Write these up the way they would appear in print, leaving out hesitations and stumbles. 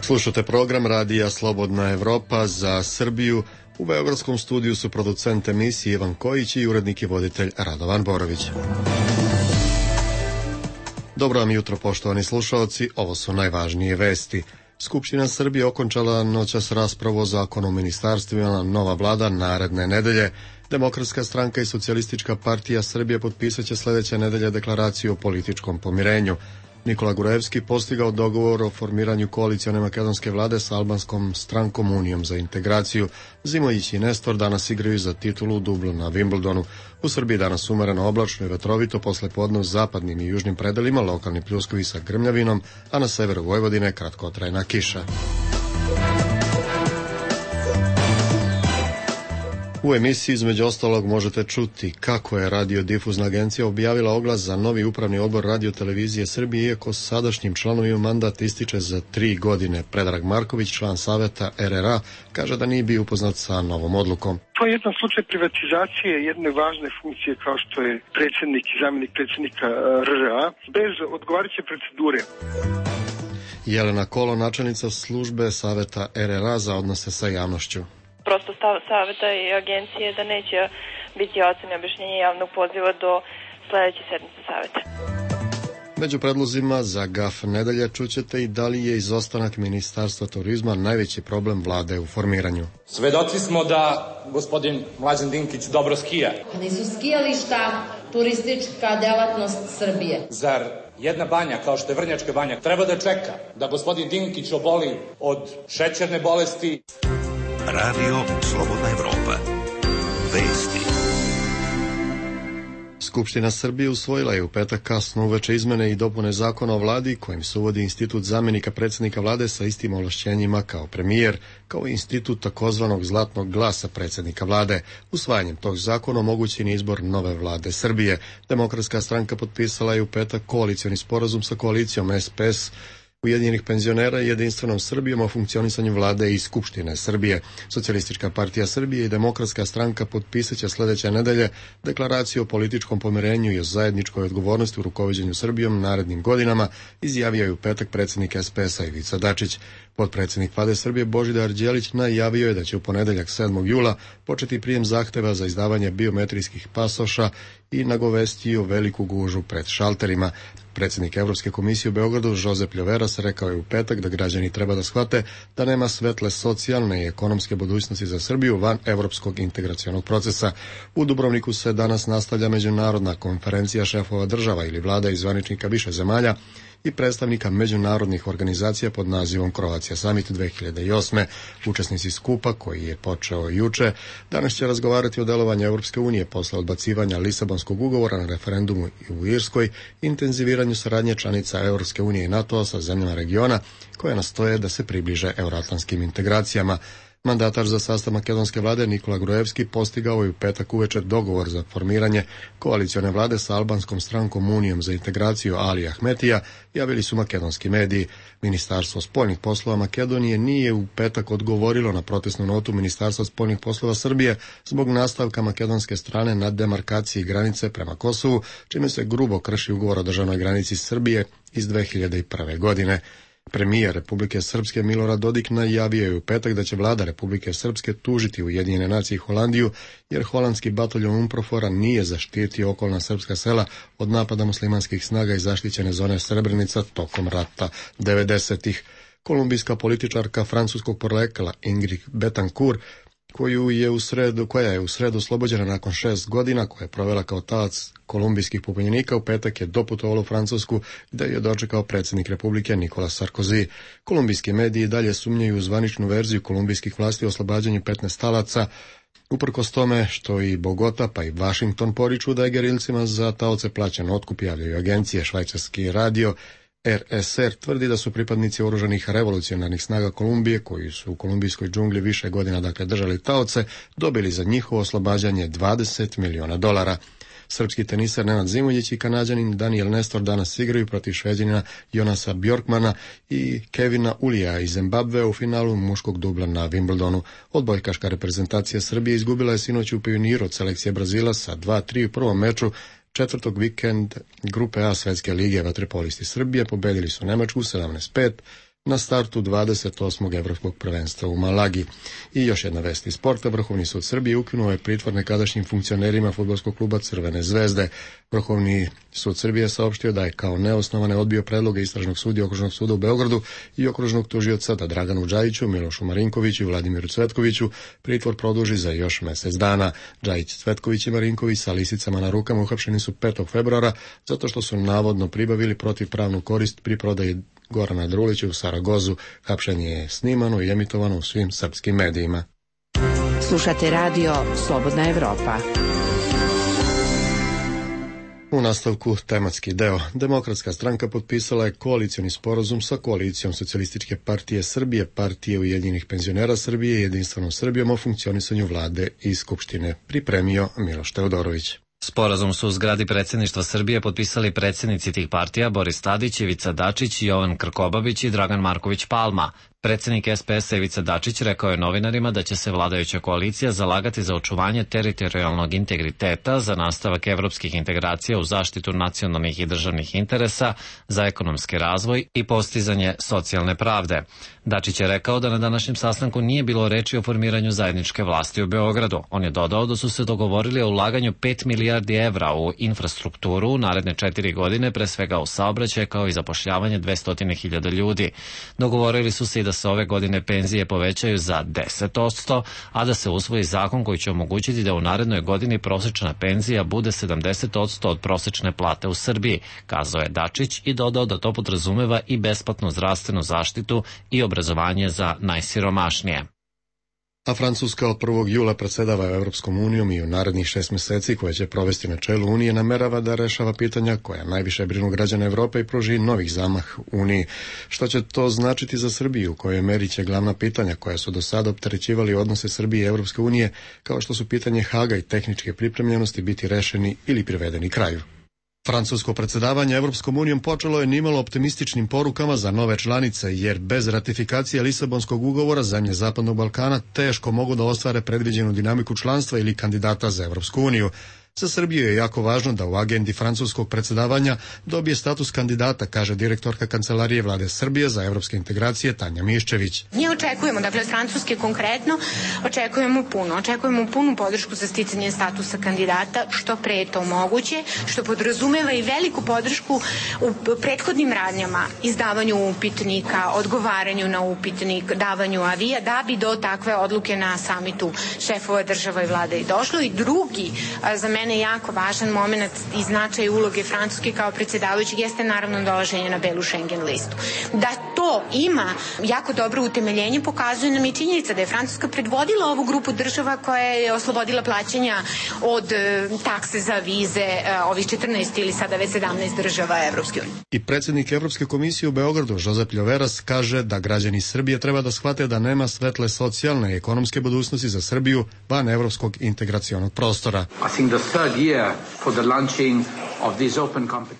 Slušate program Radija Slobodna Evropa za Srbiju. U beogradskom studiju su producent emisije Ivan Kojić i urednik i voditelj Radovan Borović. Dobro vam jutro, poštovani slušaoci, ovo su najvažnije vesti. Skupština Srbije okončala noćas raspravu o zakonu o ministarstvima, nova vlada naredne nedelje. Demokratska stranka i Socijalistička partija Srbije potpisat će sledeće nedelje deklaraciju o političkom pomirenju. Nikola Gruevski postigao dogovor o formiranju koalicione makedonske vlade sa albanskom strankom Unijom za integraciju. Zimojić i Nestor danas igraju za titulu dublu na Wimbledonu. U Srbiji danas umereno oblačno i vetrovito, posle podne u zapadnim i južnim predelima lokalni pljuskovi sa grmljavinom, a na severu Vojvodine kratkotrajna kiša. U emisiji između ostalog možete čuti kako je radiodifuzna agencija objavila oglas za novi upravni odbor Radio-televizije Srbije, iako sadašnjim članovima mandat ističe za 3 godine. Predrag Marković, član saveta RRA, kaže da nije bio upoznat sa novom odlukom. To je jedan slučaj privatizacije jedne važne funkcije kao što je predsjednik i zamjenik predsjednika RRA bez odgovarajuće procedure. Jelena Kolo, načelnica službe saveta RRA za odnose sa javnošću. Prosto stav saveta i agencije da neće biti ocene objašnjenja javnog poziva do sledeće sednice saveta. Među predlozima za GAF nedelje čućete i da li je izostanak Ministarstva turizma najveći problem vlade u formiranju. Svedoci smo da gospodin Mlađan Dinkić dobro skija. Nisu skijališta turistička delatnost Srbije. Zar jedna banja kao što je Vrnjačka banja treba da čeka da gospodin Dinkić oboli od šećerne bolesti? Radio Slobodna Evropa. Vesti. Skupština Srbije usvojila je u petak kasno uveče izmene i dopune zakona o vladi, kojim se uvodi institut zamjenika predsjednika vlade sa istim ovlašćenjima kao premijer, kao i institut takozvanog zlatnog glasa predsjednika vlade. Usvajanjem tog zakona omogućen je izbor nove vlade Srbije. Demokratska stranka potpisala je u petak koalicioni sporazum sa koalicijom SPS, Ujedinjenih penzionera i Jedinstvenom Srbijom o funkcionisanju vlade i Skupštine Srbije. Socijalistička partija Srbije i Demokratska stranka potpisat će sledeće nedelje deklaraciju o političkom pomirenju i o zajedničkoj odgovornosti u rukovođenju Srbijom narednim godinama, izjavio je u petak predsjednik SPS-a Ivica Dačić. Potpredsjednik vlade Srbije Božidar Đelić najavio je da će u ponedeljak 7. jula početi prijem zahteva za izdavanje biometrijskih pasoša i nagovestio veliku gužu pred šalterima. Predsjednik Evropske komisije u Beogradu Josep Ljoveras rekao je u petak da građani treba da shvate da nema svetle socijalne i ekonomske budućnosti za Srbiju van evropskog integracionog procesa. U Dubrovniku se danas nastavlja međunarodna konferencija šefova država ili vlada i zvaničnika više zemalja i predstavnika međunarodnih organizacija pod nazivom Croatia Summit 2008. Učesnici skupa, koji je počeo juče, danas će razgovarati o delovanju Evropske unije posle odbacivanja Lisabonskog ugovora na referendumu u Irskoj, intenziviranju saradnje članica Evropske unije i NATO-a sa zemljama regiona koje nastoje da se približe euroatlantskim integracijama. Mandatar za sastav makedonske vlade Nikola Gruevski postigao je u petak uveče dogovor za formiranje koalicione vlade sa albanskom strankom Unijom za integraciju Ali Ahmetija, javili su makedonski mediji. Ministarstvo spoljnih poslova Makedonije nije u petak odgovorilo na protestnu notu Ministarstva spoljnih poslova Srbije zbog nastavka makedonske strane na demarkaciji granice prema Kosovu, čime se grubo krši ugovor o državnoj granici Srbije iz 2001. godine. Premijer Republike Srpske Milorad Dodik najavio je u petak da će vlada Republike Srpske tužiti Ujedinjene nacije i Holandiju, jer holandski bataljon UNPROFOR-a nije zaštitio okolna srpska sela od napada muslimanskih snaga iz zaštićene zone Srebrenica tokom rata 90-ih. Kolumbijska političarka francuskog porekla Ingrid Betancourt, koja je u sredu oslobođena nakon 6 godina, koja je provela kao talac kolumbijskih pobunjenika, u petak je doputovala u Francusku, gde je dočekao predsjednik Republike Nicolas Sarkozy. Kolumbijski mediji dalje sumnjaju u zvaničnu verziju kolumbijskih vlasti o oslobađanju 15 talaca, uprkos tome što i Bogota pa i Washington poriču da je gerilcima za taoce plaćen otkup, javljaju agencije. Švajcarski radio RSR tvrdi da su pripadnici oružanih revolucionarnih snaga Kolumbije, koji su u kolumbijskoj džungli više godina držali taoce, dobili za njihovo oslobađanje $20 miliona. Srpski teniser Nenad Zimonjić i Kanađanin Daniel Nestor danas igraju protiv Šveđanina Jonasa Bjorkmana i Kevina Ulija iz Zimbabve u finalu muškog dubla na Wimbledonu. Odbojkaška reprezentacija Srbije izgubila je sinoć u Pioniru od selekcije Brazila sa 2-3 u prvom meču četvrtog vikend grupe A Svetske lige. Vaterpolisti Srbije pobedili su Nemačku 17-5, na startu 28. evropskog prvenstva u Malagi. I još jedna vest iz sporta. Vrhovni sud Srbije ukinuo je pritvor nekadašnjim funkcionerima fudbalskog kluba Crvene zvezde. Vrhovni sud Srbije saopštio da je kao neosnovane odbio predloge istražnog sudije Okružnog suda u Beogradu i okružnog tužioca da Draganu Džajiću, Milošu Marinkoviću i Vladimiru Cvetkoviću pritvor produži za još mesec dana. Džajić, Cvetković i Marinković sa lisicama na rukama uhapšeni su 5. februara zato što su navodno pribavili protivpravnu korist pri prodaji Gorana Drulića u Saragozu. Hapšenje je snimano i emitovano u svim srpskim medijima. Slušate radio Slobodna Evropa. U nastavku tematski deo. Demokratska stranka potpisala je koalicioni sporazum sa koalicijom Socijalističke partije Srbije, Partije Ujedinjenih penzionera Srbije i Jedinstvenom Srbijom o funkcionisanju vlade i skupštine. Pripremio Miloš Teodorović. Sporazum su u zgradi predsjedništva Srbije potpisali predsjednici tih partija Boris Tadić, Ivica Dačić, Jovan Krkobabić i Dragan Marković Palma. Predsjednik SPS-a Ivica Dačić rekao je novinarima da će se vladajuća koalicija zalagati za očuvanje teritorijalnog integriteta, za nastavak evropskih integracija u zaštitu nacionalnih i državnih interesa, za ekonomski razvoj i postizanje socijalne pravde. Dačić je rekao da na današnjem sastanku nije bilo reči o formiranju zajedničke vlasti u Beogradu. On je dodao da su se dogovorili o ulaganju 5 milijardi evra u infrastrukturu u naredne 4 godine, pre svega u saobraćaj, kao i zapošljavanje 200.000 ljudi. Dogovorili su se i da se ove godine penzije povećaju za 10%, a da se usvoji zakon koji će omogućiti da u narednoj godini prosečna penzija bude 70% od prosečne plate u Srbiji, kazao je Dačić i dodao da to podrazumeva i besplatnu zdravstvenu zaštitu i obrazovanje za najsiromašnije. A Francuska od 1. jula predsedava Evropskom unijom i u narednih 6 meseci koje će provesti na čelu Unije namerava da rešava pitanja koja najviše brinu građana Evrope i pruži novih zamah Uniji. Što će to značiti za Srbiju, u kojoj meri će glavna pitanja koja su do sada opterećivali odnose Srbije i Evropske unije, kao što su pitanje Haga i tehničke pripremljenosti, biti rešeni ili privedeni kraju. Francusko predsjedavanje Evropskom unijom počelo je nimalo optimističnim porukama za nove članice, jer bez ratifikacije Lisabonskog ugovora zemlje Zapadnog Balkana teško mogu da ostvare predviđenu dinamiku članstva ili kandidata za Evropsku uniju. Za Srbiju je jako važno da u agendi francuskog predsjedavanja dobije status kandidata, kaže direktorka Kancelarije Vlade Srbije za evropske integracije Tanja Miščević. Mi očekujemo, dakle od Francuske konkretno, očekujemo punu podršku za sticanje statusa kandidata, što pre je to moguće, što podrazumeva i veliku podršku u prethodnim radnjama, izdavanju upitnika, odgovaranju na upitnik, davanju avija, da bi do takve odluke na samitu šefova država i vlade i došlo. I drugi, za mene jako važan moment i značaj uloge Francuske kao predsjedavajućeg jeste naravno dolaženje na belu Schengen listu. Da to ima jako dobro utemeljenje pokazuje nam i činjenica da je Francuska predvodila ovu grupu država koja je oslobodila plaćanja od takse za vize ovih 14 ili sada već 17 država Evropske unije. I predsjednik Evropske komisije u Beogradu, Josep Ljoveras, kaže da građani Srbije treba da shvate da nema svetle socijalne i ekonomske budućnosti za Srbiju van evropskog integracionog prostora.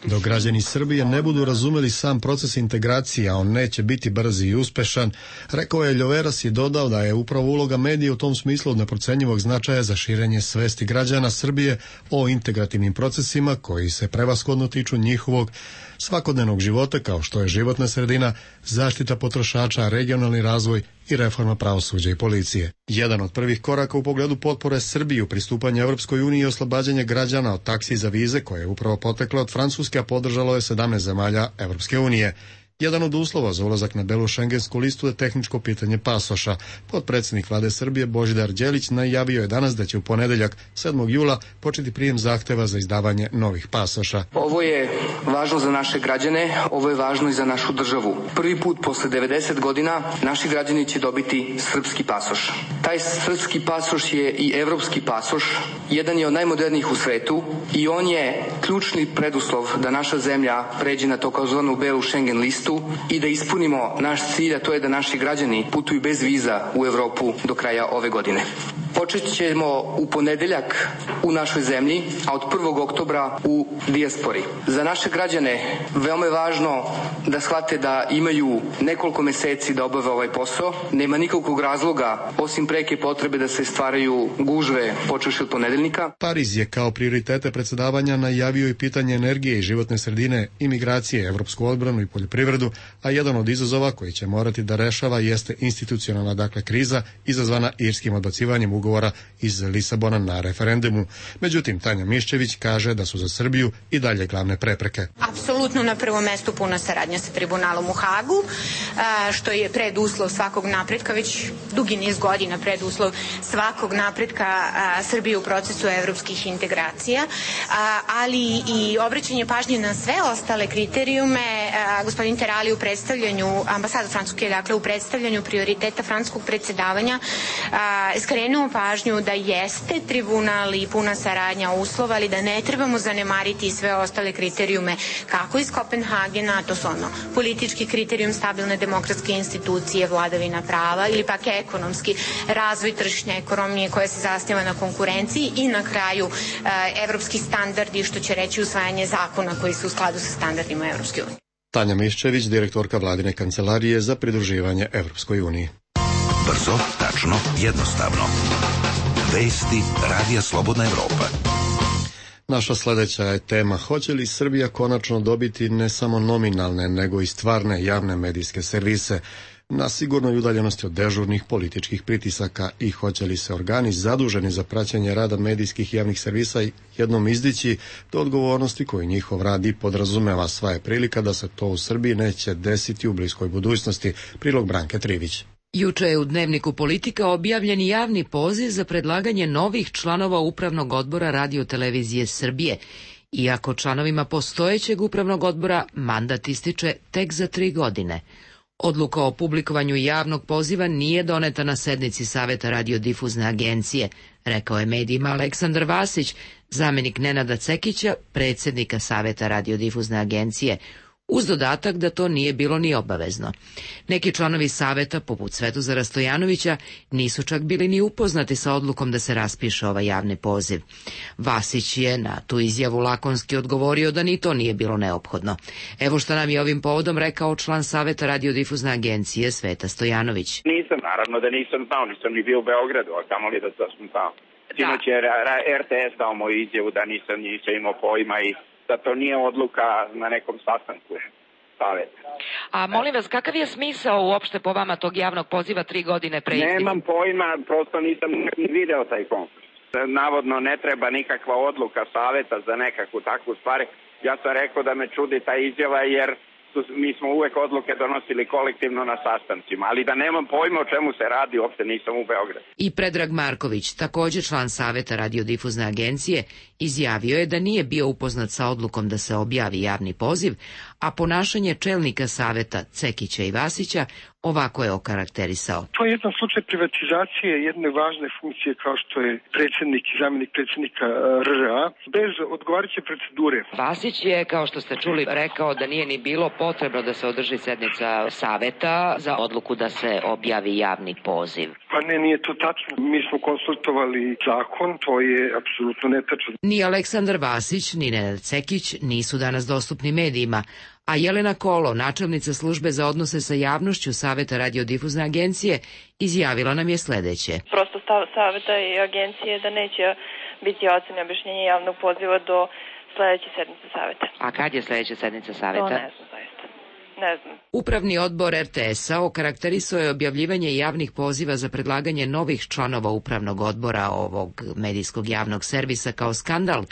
Dok građani Srbije ne budu razumeli sam proces integracije, a on neće biti brz i uspešan, rekao je Ljoveras i dodao da je upravo uloga medija u tom smislu od neprocenjivog značaja za širenje svesti građana Srbije o integrativnim procesima koji se prevashodno tiču njihovog svakodnevnog života, kao što je životna sredina, zaštita potrošača, regionalni razvoj i reforma pravosuđa i policije. Jedan od prvih koraka u pogledu potpore Srbiji u pristupanju Evropskoj uniji je oslobađanje građana od taksi za vize, koje je upravo poteklo od Francuske, a podržalo je 17 zemalja Evropske unije. Jedan od uslova za ulazak na belu šengensku listu je tehničko pitanje pasoša. Potpredsjednik Vlade Srbije Božidar Đelić najavio je danas da će u ponedeljak 7. jula početi prijem zahteva za izdavanje novih pasoša. Ovo je važno za naše građane, ovo je važno i za našu državu. Prvi put posle 90 godina naši građani će dobiti srpski pasoš. Taj srpski pasoš je i evropski pasoš, jedan je od najmodernijih u svetu i on je ključni preduslov da naša zemlja pređe na takozvanu belu Schengen listu i da ispunimo naš cilj, a to je da naši građani putuju bez viza u Evropu do kraja ove godine. Počet ćemo u ponedeljak u našoj zemlji, a od 1. oktobra u dijaspori. Za naše građane veoma je važno da shvate da imaju nekoliko meseci da obave ovaj posao. Nema nikakvog razloga, osim preke potrebe da se stvaraju gužve počevši od ponedeljnika. Pariz je kao prioritete predsjedavanja najavio i pitanje energije i životne sredine, imigracije, evropsku odbranu i poljoprivredu, a jedan od izazova koji će morati da rešava jeste institucionalna kriza izazvana irskim odbacivanjem ugovora iz Lisabona na referendumu. Međutim, Tanja Miščević kaže da su za Srbiju i dalje glavne prepreke. Apsolutno na prvom mestu puna saradnja sa tribunalom u Hagu, što je preduslov svakog napretka, već dugi niz godina preduslov svakog napretka Srbije u procesu evropskih integracija, ali i obraćanje pažnje na sve ostale kriterijume. Gospodin Terali u predstavljanju, ambasada Francuske, dakle u predstavljanju prioriteta francuskog predsjedavanja skrenuo pažnju da jeste tribunal i puna saradnja uslova, ali da ne trebamo zanemariti sve ostale kriterijume kako iz Kopenhagena, to su politički kriterijum stabilne demokratske institucije, vladavina prava, ili pak ekonomski razvoj tržišne ekonomije koja se zasniva na konkurenciji i na kraju evropski standardi, što će reći usvajanje zakona koji su u skladu sa standardima Evropske unije. Tanja Miščević, direktorka vladine kancelarije za pridruživanje Evropskoj uniji. Brzo, tačno, jednostavno. Vesti Radija Slobodna Evropa. Naša sljedeća je tema: hoće li Srbija konačno dobiti ne samo nominalne, nego i stvarne javne medijske servise na sigurnoj udaljenosti od dežurnih političkih pritisaka, i hoće li se organi zaduženi za praćenje rada medijskih javnih servisa jednom izdići do odgovornosti koju njihov rad i podrazumeva? Sva je prilika da se to u Srbiji neće desiti u bliskoj budućnosti. Prilog Branke Trivić. Juče je u Dnevniku Politika objavljen javni poziv za predlaganje novih članova Upravnog odbora Radio-televizije Srbije, iako članovima postojećeg Upravnog odbora mandat ističe tek za 3 godine. Odluka o publikovanju javnog poziva nije doneta na sednici Saveta radiodifuzne agencije, rekao je medijima Aleksandar Vasić, zamenik Nenada Cekića, predsjednika Saveta radiodifuzne agencije, uz dodatak da to nije bilo ni obavezno. Neki članovi saveta, poput Svetozara Stojanovića, nisu čak bili ni upoznati sa odlukom da se raspiše ovaj javni poziv. Vasić je na tu izjavu lakonski odgovorio da ni to nije bilo neophodno. Evo što nam je ovim povodom rekao član Saveta radiodifuzne agencije Sveta Stojanović. Naravno da nisam znao, nisam ni bio u Beogradu, a kamoli da sam znao. Sinoć je RTS dao moju izjavu da nisam imao pojma i da to nije odluka na nekom sastanku saveta. A molim vas, kakav je smisao uopšte po vama tog javnog poziva 3 godine pre isteka? Nemam pojma, prosto nisam ni video taj konkurs. Navodno ne treba nikakva odluka saveta za nekakvu takvu stvar. Ja sam rekao da me čudi ta izjava jer mi smo uvek odluke donosili kolektivno na sastancima, ali da nemam pojma o čemu se radi, uopšte nisam u Beogradu. I Predrag Marković, također član Saveta radiodifuzne agencije, izjavio je da nije bio upoznat sa odlukom da se objavi javni poziv, a ponašanje čelnika Saveta Cekića i Vasića ovako je okarakterisao. To je jedan slučaj privatizacije jedne važne funkcije kao što je predsjednik i zamjenik predsjednika RRA bez odgovarajuće procedure. Vasić je, kao što ste čuli, rekao da nije ni bilo potrebno da se održi sednica Saveta za odluku da se objavi javni poziv. Pa ne, nije to tačno. Mi smo konsultovali zakon, to je apsolutno netačno. Ni Aleksandar Vasić, ni Nenad Cekić nisu danas dostupni medijima, a Jelena Kolo, načelnica službe za odnose sa javnošću Saveta radiodifuzne agencije, izjavila nam je sledeće. Prosto stav Saveta i agencije da neće biti ocene objašnjenja javnog poziva do sledeće sednice Saveta. A kad je sledeća sednica Saveta? To ne znam, zaista. Ne znam. Upravni odbor RTS-a okarakterisao je objavljivanje javnih poziva za predlaganje novih članova upravnog odbora ovog medijskog javnog servisa kao skandal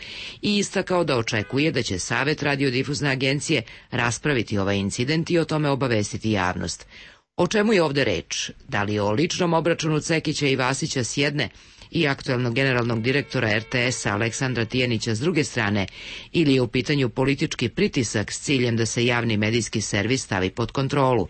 i istakao da očekuje da će Savet radiodifuzne agencije raspraviti ovaj incident i o tome obavestiti javnost. O čemu je ovde reč? Da li o ličnom obračunu Cekića i Vasića s jedne i aktuelnog generalnog direktora RTS-a Aleksandra Tijanića s druge strane, ili je u pitanju politički pritisak s ciljem da se javni medijski servis stavi pod kontrolu?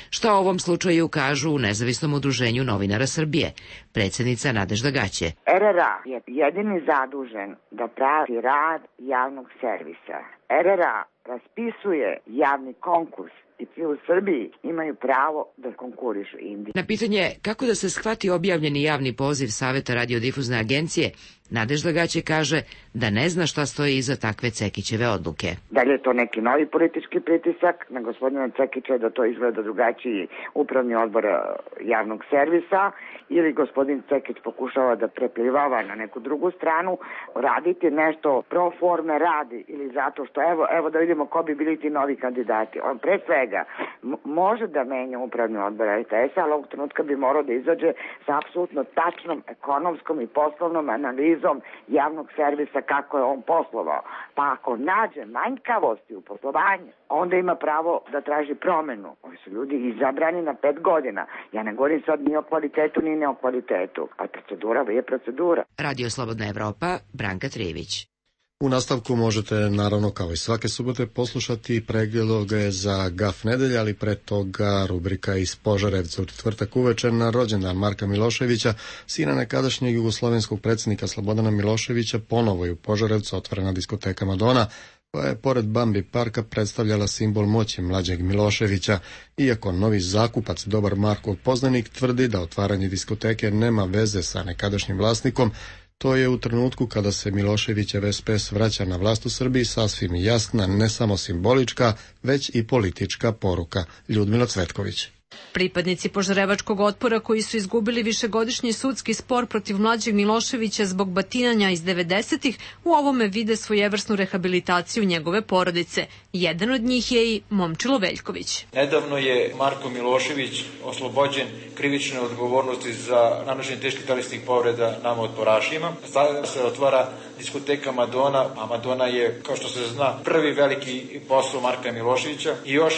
Šta o ovom slučaju kažu u Nezavisnom udruženju novinara Srbije, predsjednica Nadežda Gaće. RRA je jedini zadužen da prati rad javnog servisa. RRA raspisuje javni konkurs i svi u Srbiji imaju pravo da konkurišu Indiji. Na pitanje kako da se shvati objavljeni javni poziv Saveta radiodifuzne agencije, Nadežda Gaće kaže da ne zna šta stoji iza takve Cekićeve odluke. Da li je to neki novi politički pritisak na gospodina Cekića da to izgleda drugačiji upravni odbor javnog servisa ili gospodin Cekić pokušava da preplivava na neku drugu stranu, raditi nešto pro forme radi ili zato što evo da vidimo ko bi bili ti novi kandidati. On pre svega može da menja upravni odbor RTS-a, ali ovog trenutka bi morao da izađe sa apsolutno tačnom ekonomskom i poslovnom analizom javnog servisa kako je on poslovao. Pa ako nađe manjkavosti u poslovanju, onda ima pravo da traži promenu. Ovi su ljudi izabrani na 5 godina. Ja ne govorim sad ni o kvalitetu ni ne o kvalitetu, a procedura je procedura. Radio Slobodna Evropa, Branka Trijević. U nastavku možete, naravno, kao i svake subote, poslušati pregledoge za GAF nedelja, ali pre toga rubrika iz Požarevca u četvrtak uveče na rođendan Marka Miloševića, sina nekadašnjeg jugoslovenskog predsjednika Slobodana Miloševića. Ponovo je u Požarevcu otvorena diskoteka Madona, koja je pored Bambi parka predstavljala simbol moći mlađeg Miloševića, iako novi zakupac, dobar Markov poznanik, tvrdi da otvaranje diskoteke nema veze sa nekadašnjim vlasnikom. To je u trenutku kada se Miloševićev SPS vraća na vlast u Srbiji sasvim jasna, ne samo simbolička, već i politička poruka. Ljudmila Cvetković. Pripadnici požarevačkog otpora koji su izgubili višegodišnji sudski spor protiv mlađeg Miloševića zbog batinanja iz 90-ih u ovome vide svojevrsnu rehabilitaciju njegove porodice. Jedan od njih je i Momčilo Veljković. Nedavno je Marko Milošević oslobođen krivične odgovornosti za nanošenje teških telesnih povreda nama otporašima. Sada se otvara diskoteka Madona, a Madona je, kao što se zna, prvi veliki posao Marka Miloševića. I još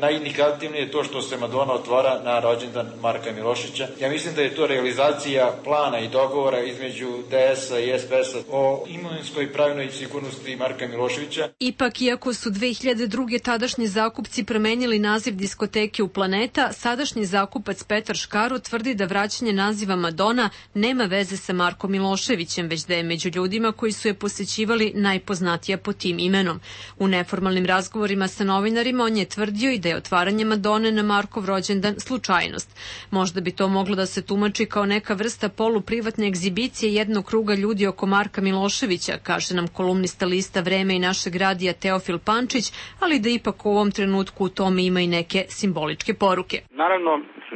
najindikativnije je to što se Madona otvara na rođendan Marka Miloševića. Ja mislim da je to realizacija plana i dogovora između DS-a i SPS-a o imovinskoj i pravilnoj sigurnosti Marka Miloševića. Ipak, iako su 2002. tadašnji zakupci promenili naziv diskoteke u Planeta, sadašnji zakupac Petar Škaro tvrdi da vraćanje naziva Madona nema veze sa Markom Miloševićem, već da je među ljudima koji su je posećivali najpoznatija po tim imenom. U neformalnim razgovorima sa novinarima on je tvrdio i da je otvaranje Madone na Markov rođendan slučajnost. Možda bi to moglo da se tumači kao neka vrsta poluprivatne egzibicije jednog kruga ljudi oko Marka Miloševića, kaže nam kolumnista lista Vreme i našeg radija Teofil Pančić, ali da ipak u ovom trenutku u tome ima i neke simboličke poruke. Naravno,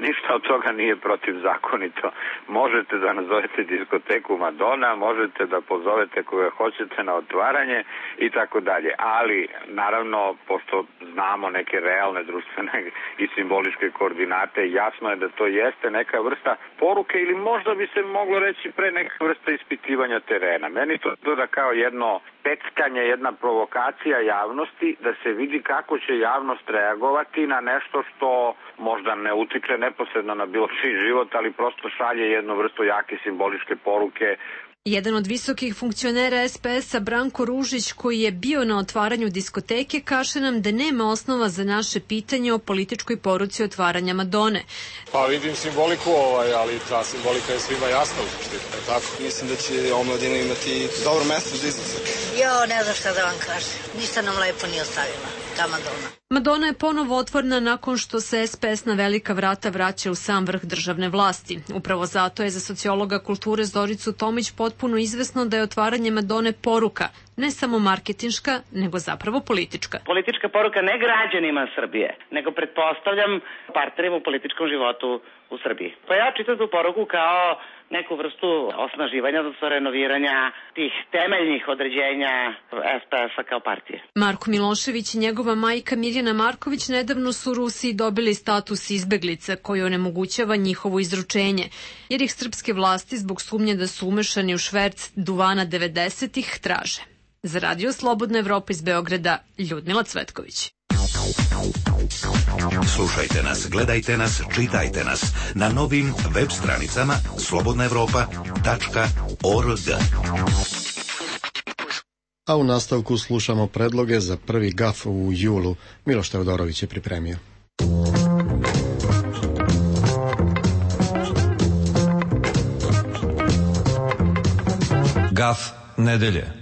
ništa od toga nije protivzakonito. Možete da nazovete diskoteku Madona, možete da pozovete koga hoćete na otvaranje i tako dalje. Ali, naravno, pošto znamo neke realne društvene i simboličke koordinate, jasno je da to jeste neka vrsta poruke ili možda bi se moglo reći pre neka vrsta ispitivanja terena. Meni to da kao jedno peckanje, jedna provokacija javnosti da se vidi kako će javnost reagovati na nešto što možda ne utiče neposredno na bilo čiji život, ali prosto šalje jednu vrstu jake simboličke poruke. Jedan od visokih funkcionera SPS-a, Branko Ružić, koji je bio na otvaranju diskoteke, kaže nam da nema osnova za naše pitanje o političkoj poruci otvaranja Madone. Pa vidim simboliku, ali ta simbolika je svima jasna u suštini, tako? Mislim da će omladina imati dobro mesto za izlazak. Ne znam šta da vam kažem. Ništa nam lepo nije ostavila, ta Madona. Madona je ponovo otvorena nakon što se SPS na velika vrata vraća u sam vrh državne vlasti. Upravo zato je za sociologa kulture Zoricu Tomić potpuno izvesno da je otvaranje Madone poruka, ne samo marketinška, nego zapravo politička. Politička poruka ne građanima Srbije, nego pretpostavljam partnerima u političkom životu u Srbiji. Pa ja čitam tu poruku kao neku vrstu osnaživanja, odnosno renoviranja tih temeljnih određenja SPS-a kao partije. Marko Milošević i njegova majka Mirjana Marković nedavno su u Rusiji dobili status izbeglica koji onemogućava njihovo izručenje, jer ih srpske vlasti zbog sumnje da su umešani u šverc duvana 90-ih traže. Za Radio Slobodna Evropa iz Beograda, Ljudmila Cvetković. Slušajte nas, gledajte nas, čitajte nas na novim web stranicama slobodnaevropa.org. A u nastavku slušamo predloge za prvi GAF u julu. Miloš Teodorović je pripremio. GAF nedelje.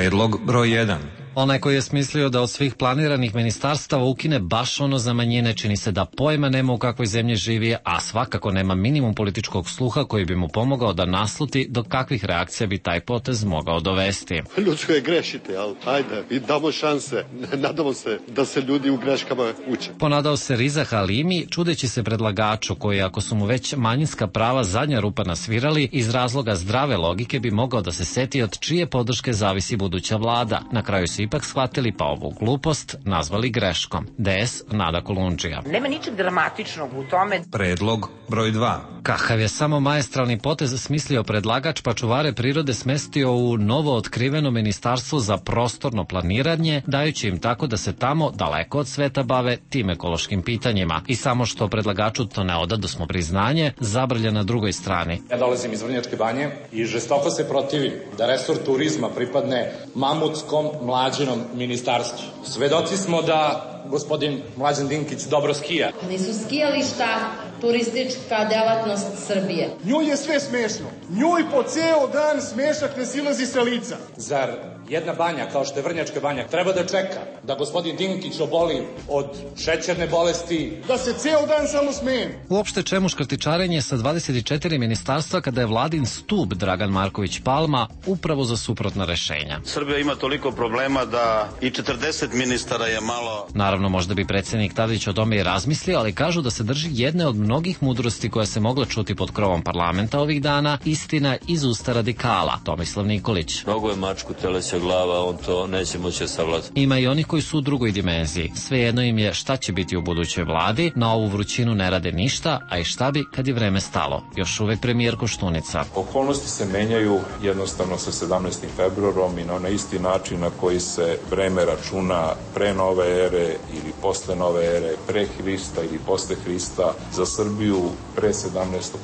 Predlog broj 1. Onaj koji je smislio da od svih planiranih ministarstava ukine baš ono za manjine, čini se da pojma nema u kakvoj zemlji živi, a svakako nema minimum političkog sluha koji bi mu pomogao da nasluti do kakvih reakcija bi taj potez mogao dovesti. Ljudsko je grešite, ali ajde, i damo šanse. Nadamo se da se ljudi u greškama uče. Ponadao se Riza Halimi, čudeći se predlagaču koji, ako su mu već manjinska prava zadnja rupa nasvirali, iz razloga zdrave logike bi mogao da se seti od čije podrške zavisi buduća vlada. Na kraju su ipak shvatili pa ovu glupost nazvali greškom. DS Nada Kolundžija. Nema ničeg dramatičnog u tome. Predlog broj 2. Kakav je samo maestralni potez smislio predlagač, pa čuvare prirode smestio u novo otkriveno ministarstvo za prostorno planiranje, dajući im tako da se tamo, daleko od sveta, bave tim ekološkim pitanjima. I samo što predlagaču to ne odadosmo priznanje, zabrlja na drugoj strani. Ja dolazim iz Vrnjačke Banje i žestoko se protivim da resor turizma pripadne mamutskom mlađenom ministarstvu. Svedoci smo da gospodin Mlađan Dinkić dobro skija. Nisu skijališta turistička delatnost Srbije. Njoj je sve smešno. Njoj po ceo dan smešak ne silazi sa lica. Zar jedna banja kao što je Vrnjačka Banja treba da čeka da gospodin Dinkić oboli od šećerne bolesti? Da se ceo dan samo smeje. Uopšte čemu škrtičarenje sa 24 ministarstva kada je vladin stub Dragan Marković Palma upravo za suprotna rešenja? Srbija ima toliko problema da i 40 ministara je malo. Naravno, možda bi predsjednik Tadić o tome i razmislio, ali kažu da se drži jedne od mnogih mudrosti koja se mogla čuti pod krovom parlamenta ovih dana, istina iz usta radikala, Tomislav Nikolić. Mnogo je mačku teleća glava, on to neće moći savladati. Ima i onih koji su u drugoj dimenziji. Svejedno im je šta će biti u budućoj vladi, na ovu vrućinu ne rade ništa, a i šta bi kad je vreme stalo. Još uvek premijer Koštunica. Okolnosti se menjaju jednostavno sa 17. februarom i na isti način na koji se vreme računa pre nove ere ili posle nove ere, pre Hrista ili posle Hrista, za Srbiju pre 17.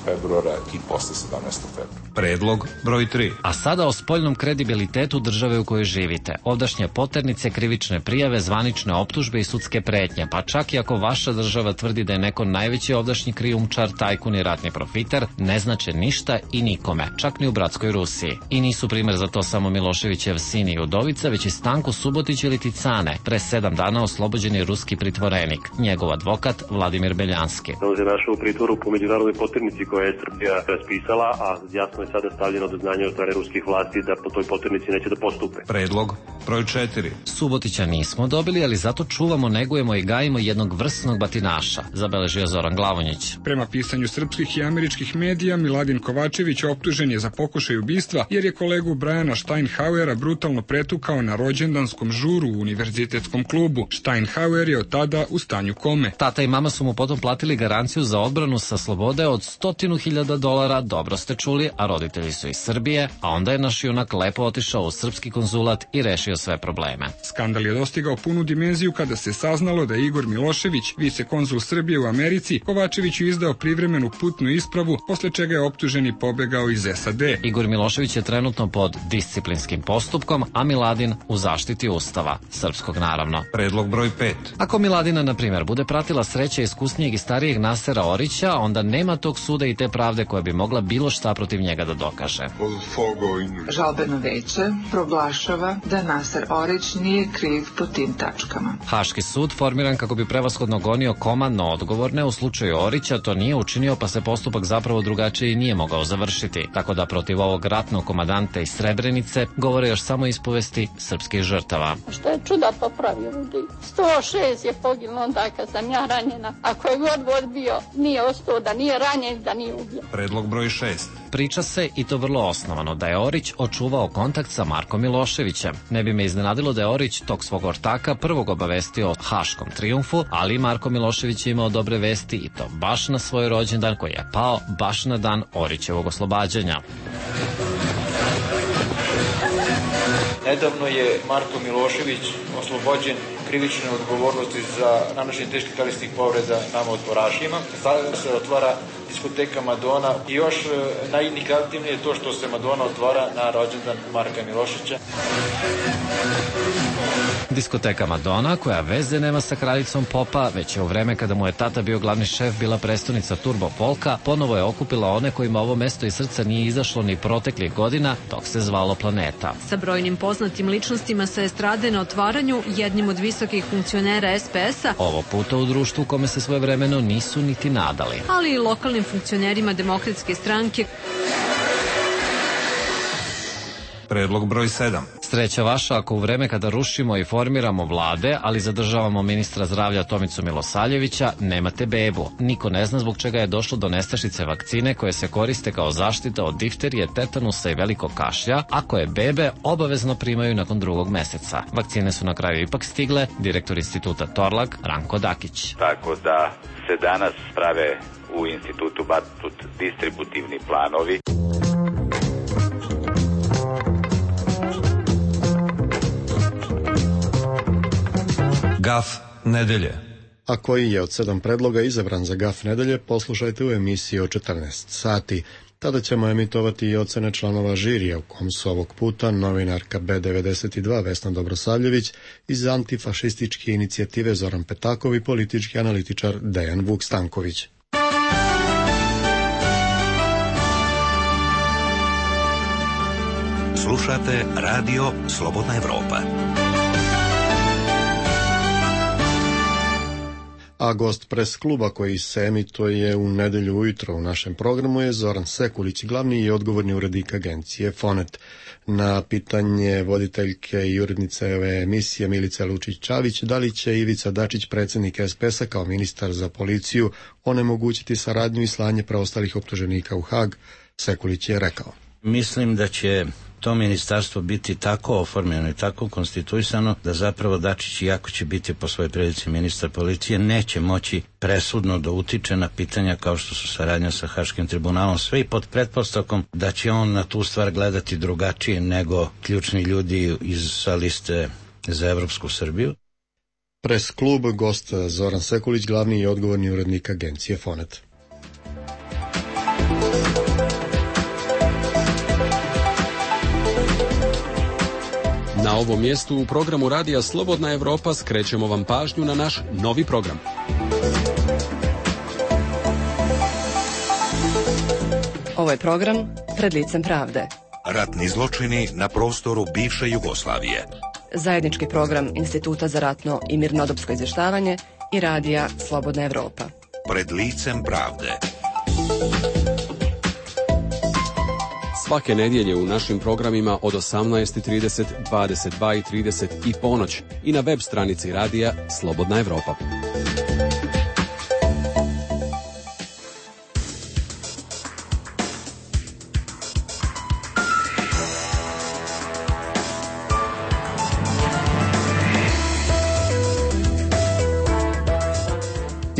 februara i posle 17. februara. Predlog broj 3. A sada o spoljnom kredibilitetu države u kojoj živite. Ovdašnje poternice, krivične prijave, zvanične optužbe i sudske pretnje, pa čak i ako vaša država tvrdi da je neko najveći ovdašnji krijumčar, tajkun i ratni profiter, ne znače ništa i nikome, čak ni u bratskoj Rusiji. I nisu primer za to samo Miloševićev sin i udovica, već i Stanko Subotić ili Ticane, pre 7 dana oslobođen je ruski pritvorenik, njegov advokat Vladimir Beljanski. On se našao u pritvoru po međunarodnoj poternici koja je Srbija raspisala, a jasno je sada stavljeno do znanja od strane ruskih vlasti da po toj poternici neće da postupe. Predlog broj 4. Subotića nismo dobili, ali zato čuvamo, negujemo i gajimo jednog vrsnog batinaša, zabeležio Zoran Glavonjić. Prema pisanju srpskih i američkih medija, Miladin Kovačević optužen je za pokušaj ubistva jer je kolegu Brajana Steinhauera brutalno pretukao na rođendanskom žuru u univerzitetskom klubu. Steinhauer je od tada u stanju kome. Tata i mama su mu potom platili garanciju za odbranu sa slobode od $100.000, dobro ste čuli, a roditelji su iz Srbije, a onda je naš junak lepo otišao u srpski konzulat i rešio sve probleme. Skandal je dostigao punu dimenziju kada se saznalo da je Igor Milošević, vicekonzul Srbije u Americi, Kovačeviću izdao privremenu putnu ispravu, posle čega je optužen i pobegao iz SAD. Igor Milošević je trenutno pod disciplinskim postupkom, a Miladin u zaštiti Ustava, srpskog naravno. Predlog broj 5. Ako Miladina, na primjer, bude pratila sreća iskusnijeg i starijeg Nasera Orića, onda nema tog suda i te pravde koja bi mogla bilo šta protiv njega da dokaže. Žalbeno veće proglašava da Naser Orić nije kriv po tim tačkama. Haški sud, formiran kako bi prevashodno gonio komandno odgovorne, u slučaju Orića to nije učinio, pa se postupak zapravo drugačije i nije mogao završiti. Tako da protiv ovog ratnog komadanta iz Srebrenice govore još samo ispovesti srpskih žrtava. Što je čuda popravio ljudi. 106 je poginulo onda kad sam ja ranjena. Ako je god bio, nije ostao da nije ranjen, da nije ubijen. Predlog broj 6. Priča se, i to vrlo osnovano, da je Orić očuvao kontakt sa Markom Miloševićem. Ne bi me iznenadilo da je Orić tog svog ortaka prvog obavestio o haškom trijumfu, ali Marko Milošević je imao dobre vesti i to baš na svoj rođendan koji je pao baš na dan Orićevog oslobađanja. Nedavno je Marko Milošević oslobođen krivične odgovornosti za nanošenje teških telesnih povreda nama otporašima. Sada se otvara diskoteka Madona i još najindikativnije je to što se Madona otvara na rođendan Marka Miloševića. Diskoteka Madonna, koja veze nema sa kraljicom popa, već je u vreme kada mu je tata bio glavni šef bila prestonica Turbo Polka, ponovo je okupila one kojima ovo mesto iz srca nije izašlo ni proteklih godina, dok se zvalo Planeta. Sa brojnim poznatim ličnostima sa estrade na otvaranju, jednim od visokih funkcionera SPS-a, ovo puta u društvu kome se svojevremeno nisu niti nadali. Ali i lokalnim funkcionerima Demokratske stranke. Predlog broj 7. Sreća vaša ako u vreme kada rušimo i formiramo vlade, ali zadržavamo ministra zdravlja Tomicu Milosavljevića, nemate bebu. Niko ne zna zbog čega je došlo do nestašice vakcine koje se koriste kao zaštita od difterije, tetanusa i velikog kašlja, a koje bebe obavezno primaju nakon 2. meseca. Vakcine su na kraju ipak stigle, direktor instituta Torlak, Ranko Dakić. Tako da se danas prave u institutu Batut distributivni planovi. Gaf nedelje. A koji je od 7 predloga izabran za Gaf nedelje, poslušajte u emisiji od 14 sati. Tada ćemo emitovati i ocene članova žirija, u kom su ovog puta novinarka B92 Vesna Dobrosavljević iz antifašističke inicijative Zoran Petakov i politički analitičar Dejan Vuk Stanković. Slušate Radio Slobodna Evropa. A gost pres kluba koji se emituje u nedelju ujutro u našem programu je Zoran Sekulić, glavni i odgovorni urednik agencije Fonet. Na pitanje voditeljke i urednice ove emisije Milice Lučić-Čavić, da li će Ivica Dačić, predsjednik SPS-a kao ministar za policiju, onemogućiti saradnju i slanje preostalih optuženika u Hag, Sekulić je rekao. Mislim da će to ministarstvo biti tako oformljeno i tako konstituisano da zapravo Dačić, iako će biti po svojoj prilici ministar policije, neće moći presudno da utiče na pitanja kao što su saradnja sa Haškim tribunalom, sve i pod pretpostavkom da će on na tu stvar gledati drugačije nego ključni ljudi sa liste za Evropsku Srbiju. Pres klub, gost Zoran Sekulić, glavni i odgovorni urednik agencije Fonet. Na ovom mjestu u programu Radija Slobodna Evropa skrećemo vam pažnju na naš novi program. Ovo je program Pred licem pravde. Ratni zločini na prostoru bivše Jugoslavije. Zajednički program Instituta za ratno i mirnodopsko izvještavanje i Radija Slobodna Evropa. Pred licem pravde. Svake nedjelje u našim programima od 18:30, 22:30 i ponoć i na web stranici Radija Slobodna Evropa.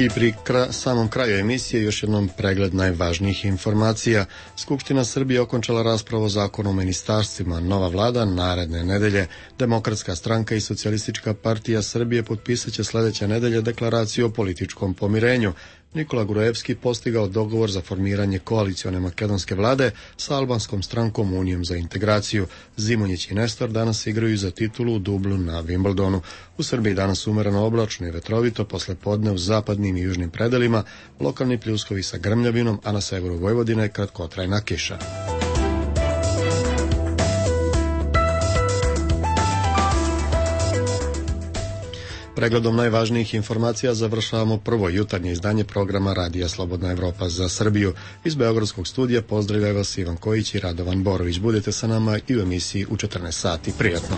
I pri samom kraju emisije još jednom pregled najvažnijih informacija. Skupština Srbije okončala raspravu o zakonu o ministarstvima. Nova vlada naredne nedelje. Demokratska stranka i Socijalistička partija Srbije potpisat će sljedeće nedelje deklaraciju o političkom pomirenju. Nikola Gruevski postigao dogovor za formiranje koalicione makedonske vlade sa albanskom strankom Unijom za integraciju. Zimonjić i Nestor danas igraju za titulu u dublu na Wimbledonu. U Srbiji danas umereno oblačno i vetrovito, posle podne u zapadnim i južnim predelima, lokalni pljuskovi sa grmljavinom, a na severu Vojvodine kratkotrajna kiša. Pregledom najvažnijih informacija završavamo prvo jutarnje izdanje programa Radija Slobodna Evropa za Srbiju. Iz Beogradskog studija pozdravljaju vas Ivan Kojić i Radovan Borović. Budete sa nama i u emisiji u 14 sati. Prijatno!